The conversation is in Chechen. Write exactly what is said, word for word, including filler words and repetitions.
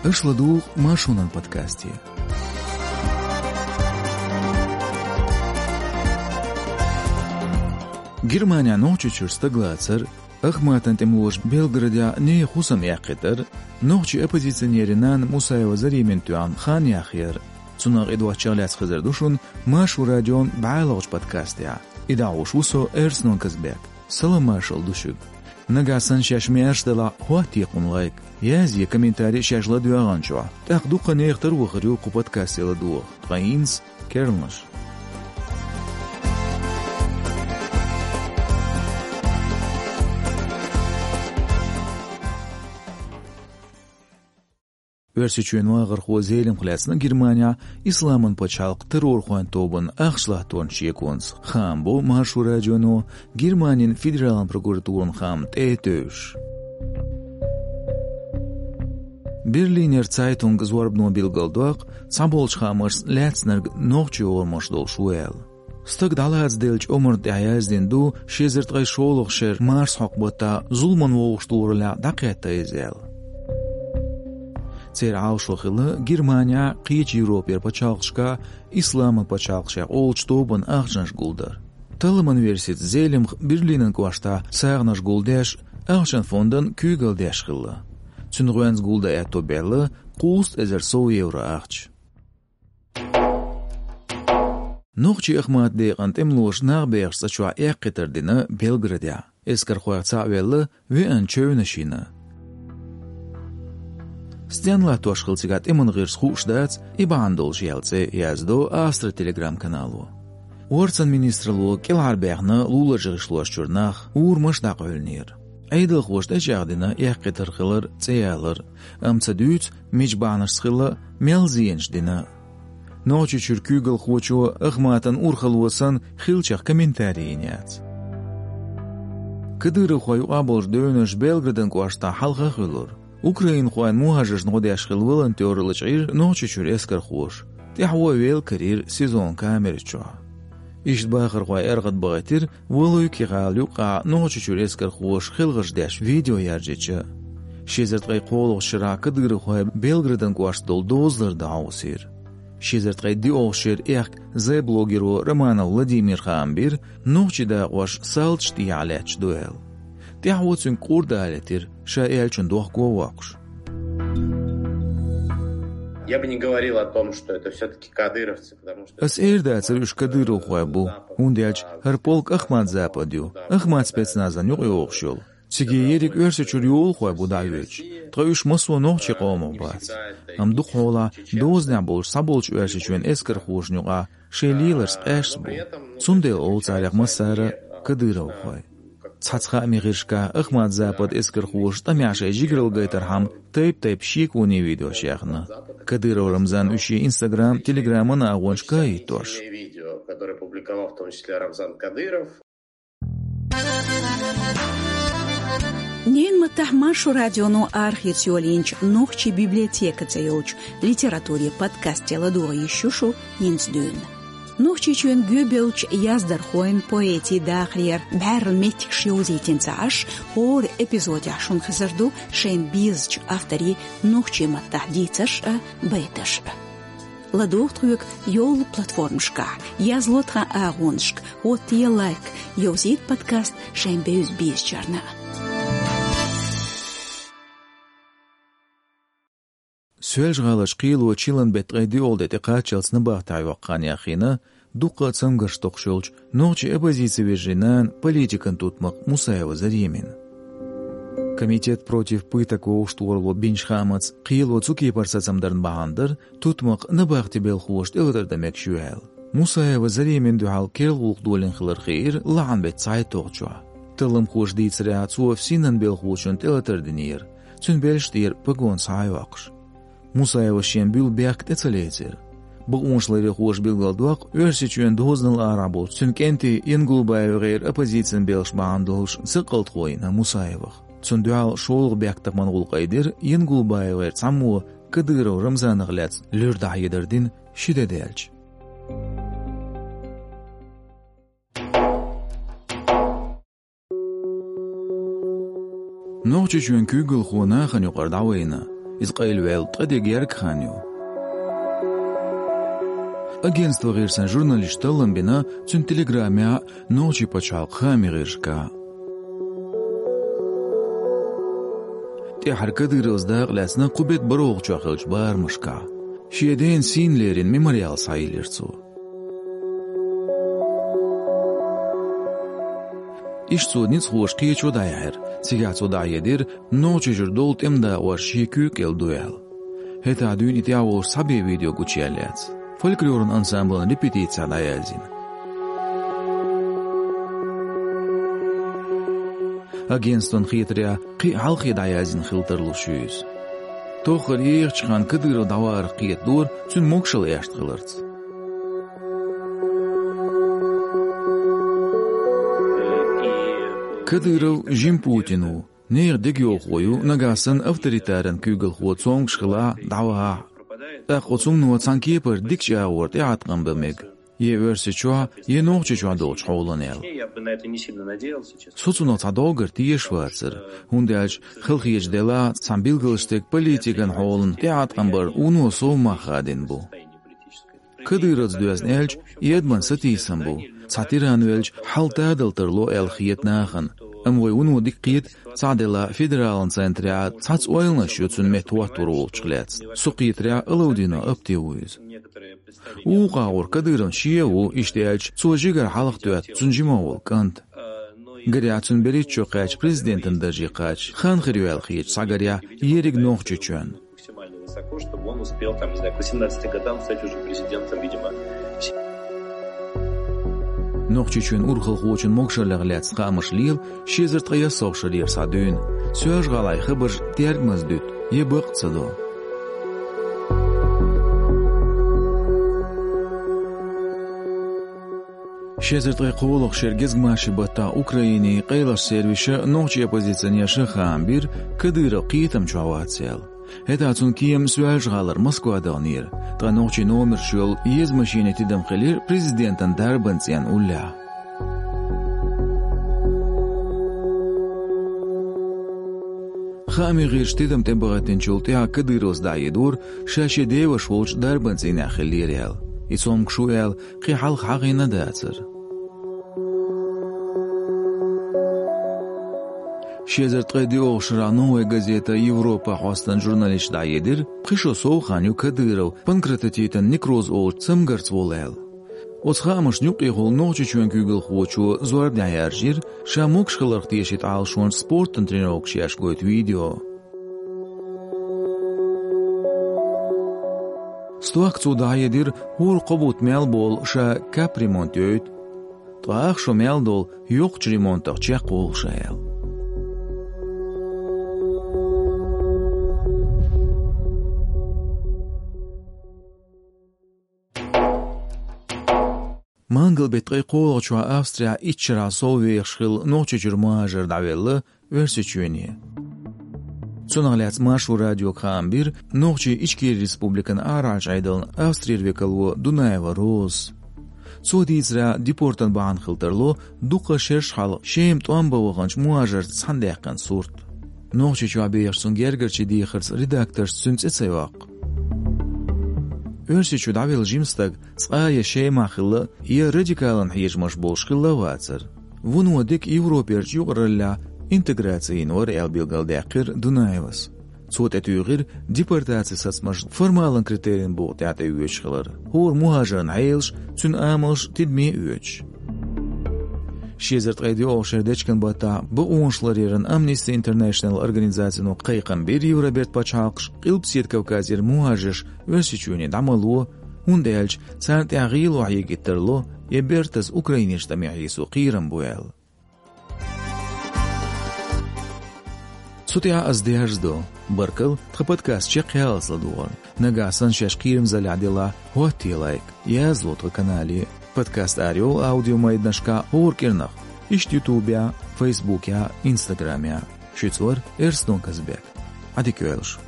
Аша ладугӀу Маршонан подкасте. Германехь Нохчийчуьра стаг лацар, Ахматан тӀемалоша Белградехь нехан хӀусам эккхийтар, нохчийн оппозиционеран нана Мусаева Заремина тоьхна хан яхъяр. Цунах а доцчух лаьцна хезар ду шуна Маршо радион бӀаьлагӀчу подкастехь. И дӀахьош ву со, Эрснон Казбек. Салам-маршалла ду шуьга. Нагахь санна шаьш маьрша делахь, хӀоттае кхунна лайк. Язъе комментарий шаьш ладоьгӀначохь. ТӀаккха дуккха нехан тара вахар ю кху подкасте ладогӀа. Ткъа хӀинца керланаш. Оьрсийчоьнан вахархо Зелимха лаьцна Германехь Исламан пачхьалкх террорхойн тобанна ахча латторан шеконца, хаам бо Маршо радионо Германин федералан прокуратуран хаам тӀе а тевжаш. Берлинер Цайтунг зорбано билгалдоккху, цхьаболчу хаамашца лаьцнарг нохчийн орамаш долуш ву аьлла. Стаг дӀалацаделлачу омарна тӀехь яздина ду ши эзар ткъе шолгӀачу шеран марсхьокху баттахь зуламан вовшахтохараллехь дӀакхетта иза аьлла. Церан Ӏалашо хилла Германехь, кхечу Европера пачхьалкхашкахь Исламан пачхьалкх шех олучу тобанна ахчанаш гулдар. Талламан версица Зелимха Берлинан кӀоштахь сагӀанаш гулдеш, ахчан фондан куьйгалла деш хилла. Цуьнан гӀоьнца гулдан аьтто баьлла кхузткъа эзар сов евро ахча. Нохчийн Ахмат декъан тӀемалоша нах бехачу цӀа чохь эккхийтар дина Белградехь. Эскархойх цхьаъ велла, веана чевнаш йина. Стенна латтош хилла цигахь тӀеман гӀирс хууш дац, и бахьана долуш яьлла цӀе, яздо Астра Telegram-канало. Орцан министралло кӀелхьарбаьхна луларчу гӀишлош чуьра нах, урамаш дӀакъевлинера. Ӏедалхоша тӀечӀагӀдина эккхийтар хилар, цӀе ялар, амма ца дуьйцу, мича бахьанашца хилла, мел зенаш дина. Нохчийчуьра куьйгалхочо Ахматан урхалло санна хиллачех комментарий йина яц. Кадыровхойн юкъахь болчу девнаш Белградан кӀоштахь хьалха а хуьлура. Украинхойн мухӀажаршна гӀо деш хилла волонтёр лачкъийра Нохчийчуьра эскархоша. ТӀаьхьо а велла карийра СИЗО-н камера чохь. Иштта бахархой аьргӀат бахийтира Валуйки-гӀала юккъехь Нохчийчуьра эскархоша хелхарш деш видео яржича. Ши эзар ткъе кхоалгӀачу шарахь кадыровхой Белградан кӀоштахь долу дозалла дӀахьовсийра. Ши эзар ткъе диъалгӀачу шеран аьхка Z-блогеро Романов Владимира хаам бира, нохчийн дакъош салташ тӀехьа лаьтташ ду аьлла. ТӀаьхьо цуьнга къурда а летира, ша аьллачун дохко а воккхуш. Я бы не говорил о том, что это всё-таки кадыровцы, потому что... Ас эр дацара уьш кадыровхой бу, хӀунда аьлча хӀара полк Ахмат-Запад ю, Ахмат спецназан юкъа йогӀуш йолу. Циге ерриг Оьрсийчуьра йолахой бу дӀахьоьцуш, ткъа уьш массо нохчийн къомах бац. Амма дукха хьолахь дозанехь болчу цхьаболчу Оьрсийчоьнан эскархошна юкъахь шайн леларш къаьсташ бу. Цундела олу царех массара кадыровхой. Цхьацца хаамийн гӀирсашкахь Ахмат-Запад эскархоша тӀамехь шайн жигаралла гайтархьама тайп-тайпа шеконийн видеош яьхна. Кадыров Рамзана уьш шен Instagram, Telegram-ан агӀонашка а хӀиттош. Видео, которое публиковал в том числе Рамзан Кадыров. Ненан маттахь Маршо радионо арахеца йолийначу нохчийн библиотека цӀе йолчу литературин подкасте ладогӀа йиш ю шу хӀинца дуьйна. Нохчийчоьнан гӀоьбеллачу яздархойн, поэтийн дахарера бӀаьрла меттигаш йовзийтина ца Ӏаш, хӀора эпизодехь шуна хезар ду шайна безачу авторийн нохчийн маттахь дийцарш а, байташ а. ЛадогӀа тхоьга йолу платформашкахь, язло тхан агӀонашка, хӀоттае лайк, йовзийта подкаст шайн бевза-безачарна. Соьлжа-ГӀаларчу кхело чиллан беттан ткъе диъалгӀа де тӀекхаччалц набахтехь йоккху хан яхйина дуккха а цамгарш токхуш йолчу нохчийн оппозицин вежарийн нана, политикан тутмакх Мусаева Заремина. Комитет против пыток вовшахтохаралло бинчу хаамца, кхело цу кепара сацам дарна бахьана дара тутмакх набахтин белхалоша тӀелатар дан мегаш ю аьлла. Мусаева Заремина дуьхьал керла гӀуллакх долийна хилар хиира лахьан беттан цхьайтталгӀачохь. Талламхоша дийцарехь, цо ФСИН-ан белхалочунна тӀелатар динера, цуьнан белшаш тӀера погон схьа а йоккхуш. Мусаевас шен буьлла бехк тӀе ца лецира. Бакъонашларъярхоша билгалдоккху, Оьрсийчоьнан дозанал арахь болчу цуьнан кӀентий ЯнгулбаевгӀеран оппозицин белхаш бахьана долуш цаккъалтхо йина Мусаевах. Цунна дуьхьал шолгӀа бехктакхаман гӀуллакх айдира ЯнгулбаевгӀеран цхьаммо Кадыров Рамзанах лаьцна луьра дӀахьедар дина ши де даьлча. Нохчийчоьнан куьйгалхо нахана юкъара дӀавайна. Иза къайлаваьлла ткъаь де герга хан ю. Агентство гӀирсан журналисташа таллам бина цуьнан телеграмехь а, нохчийн пачхьалкхан хаамийн гӀирсашкахь а. ТӀаьххьара Кадыровс дакъа лаьцна кху беттан бархӀалгӀачохь хиллачу барамашкахь. Шен дена сийна лерина мемориал схьайиллира цо. Иштта цо ницкъахоша кхеташо дӀаяьхьира, цигахь цо дӀахьедира Нохчийчуьра долу тӀеман дакъош шен куьйга кӀел ду аьлла. ХӀетахь дуьйна и тӀехь волуш цхьа бен видео гучуяьлла яц. Фольклоран ансамблан репетицехь дӀаязйина. Агентствон хетарехь, кхин а хьалхе дӀаязйина хила тарлуш ю иза. Тоххара ехачу хенахь Кадыров дӀавахарх кхетадора цуьнан могушалла аьшна хиларца. Кадыров жима Путин ву, нехан дегайовхо ю, нагахь санна авторитаран куьйгалхо цомгуш хилахь а, дӀавахахь а. ТӀаккха оцу хӀумано цхьана кепара дикачу агӀор тӀеӀаткъам бан мега, я Оьрсийчохь, я Нохчийчохь долчу хьолана аьлла. Со цунах цхьа доггар тешаш вацара, хӀунда аьлча, хала хеташ делахь а, цхьана билгалчу стеган политикан хьолана тӀеӀаткъам бар вуно сов мах хадийна бу. Кадыровца доьзна аьлча, и адаман сатийсам бу, цхьа тиран велча, хьал тадала тарло аьлла хета нахана. Амма вай вуно дика кхета, цхьаъ делахь, федералан центрехь цхьацца ойланаш ю цуьнан метта хӀоттор волчух лаьцна. Со кхетарехь, Алаудинов Апти ву иза. Вукху агӀор Кадыровн шен а ву, иштта аьлча, цо жигара хьалха тоьтту цуьнан жимах волу кӀант. Гарехь, цуьнан берхӀитта шо кхаьчча, президентан дарже кхача хан хир ю аьлла хеташ цхьа гарехь, ерриг Нохчийчоьнан. Максимально высоко, чтобы он успел, там, не знаю, к восемнадцати годам стать уже президентом, видимо. Нохчийчоьнан урхалхочун могушаллех лаьцна хаамаш лела ши эзар ткъе ялх шарера схьа дуьйна. Соьлжа-ГӀалахь хабарш тергамаза дуьту, я бакъ а ца до. Ши эзар ткъе кхоалгӀачу шеран гезгмашин баттахь Украинин къайлахчу сервисаша нохчийн оппозиционерша хаам бира, Кадыров кхетам чохь вац аьлла. ХӀетахь цуьнан кема Соьлжа-ГӀалара Москва даханера, ткъа нохчийн номерш йолу еза машенийн тидам хилира президентан дарбан цӀенна уллехь. Хаамийн гӀирсаша тидам тӀебахийтинчул тӀаьхьа Кадыровс дӀахьедора, ша шен деваша волчу дарбан цӀийнехь хиллера аьлла. И цомгуш ву аьлла, кхин хьалха хьахийна дацара. Ши эзар ткъе диъолгӀачу шарахь «Новая газета Европа» хьостанан журналисташа дӀахьедира, пхи шо сов хан ю Кадыров панкреатитан некроз олучу цамгарца волу аьлла. Оцу хаамашна юккъехула Нохчийчоьнан куьйгалхочо зорбанехь яржийра, ша могуш хиларх тешийта Ӏалашончу спортан тренировкаш еш гойту видео. Стохка цо дӀахьедира, хӀора кхо бутт мел болу ша капремонт йойту, ткъа ах шо мел долу йоккхачу ремонтах чекхволуш аьлла. Мангал беттан ткъе кхоалгӀачохь Австрехь итт шарахь сов вехаш хилла Нохчийчуьра мухӀажар дӀавелла Оьрсийчоьне. Цунах лаьцна Маршо радиога хаам бира Нохчийн Ичкери Республикан арахьарчу Ӏедалан Австрера векало Дунаева Розас. Цо дийцарехь, депортан бахьана хила тарло дукха шераш хьалха Шема тӀом бан ваханчу мухӀажарца цхьаьна даьккхина сурт. Нохчийчохь бехаш цунна гергарчийн дехарца редакторша цуьнан цӀе ца йоккху. Оьрсийчу дӀавелла жима стаг цкъа а я Шемахь хилла, я радикалан хьежамаш болуш хилла а вацара. Вуно дика Европерчу юкъараллехь интеграци йина вара аьлла билгалдаьккхира Дунаевас. Цо тӀетуьйхира депортацин сацамаш формалан критерийн букъа тӀехь тӀеоьцуш хилар, хӀора мухӀажаран хьелаш, цуьнан амалш тидаме оьцуш. Ши эзар ткъе диъолгӀачу шеран дечкен баттахь бакъонашларъяран Amnesty International организацино кхайкхам бира Евробертан пачхьалкхашка Къилбаседа Кавказера мухӀажарш Оьрсийчоьне дӀа ма ло, хӀунда аьлча царна тӀехь гӀело хьегийта тарло, я бертаза украинерчу тӀаме хьийсо кхерам бу аьлла. Цу тӀехь ас дерзадо. Баркалла, тхан подкаст чекхъяллалц ладогӀарна. Нагахь санна шаьш кхерамзаллехь делахь, хӀоттае лайк, язло тхан канале. Подкаст арайолу аудиомайданашкахь хӀора кӀирнах, иштта Ютубехь, Фейсбукехь, Инстаграмехь. Шуьца вара Эрстон Казбек. Ӏадика йойла шун.